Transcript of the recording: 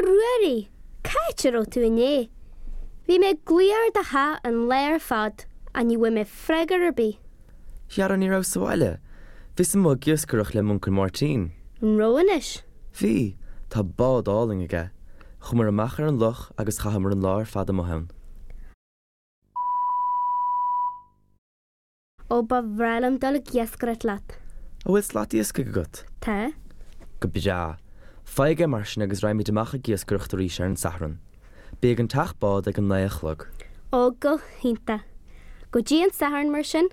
Ruairí, cá háit a raibh tú inné? Bhí mé ag glaoch ar do theach an lá ar fad ach ní bhfuair mé freagra ar bith. Dhera, ní rabhas sa bhaile. Bhíos amuigh ag iascaireacht le m'uncail Máirtín. An raibh anois? Bhí. Tá bád álainn aige. Chuamar amach ar an loch agus chaitheamar an lá ar fad amuigh ann. Ó ba bhreá liom dul ag iascaireacht leat. An bhfuil slat iascaigh agat? Tá. Go breá. Faigh é mar sin agus raghaimid amach ag iascaireacht arís ar an Satharn. Bí ag an teach bád ag an naoi a chlog. Ó go hiontach. Go dtí an Satharn mar sin.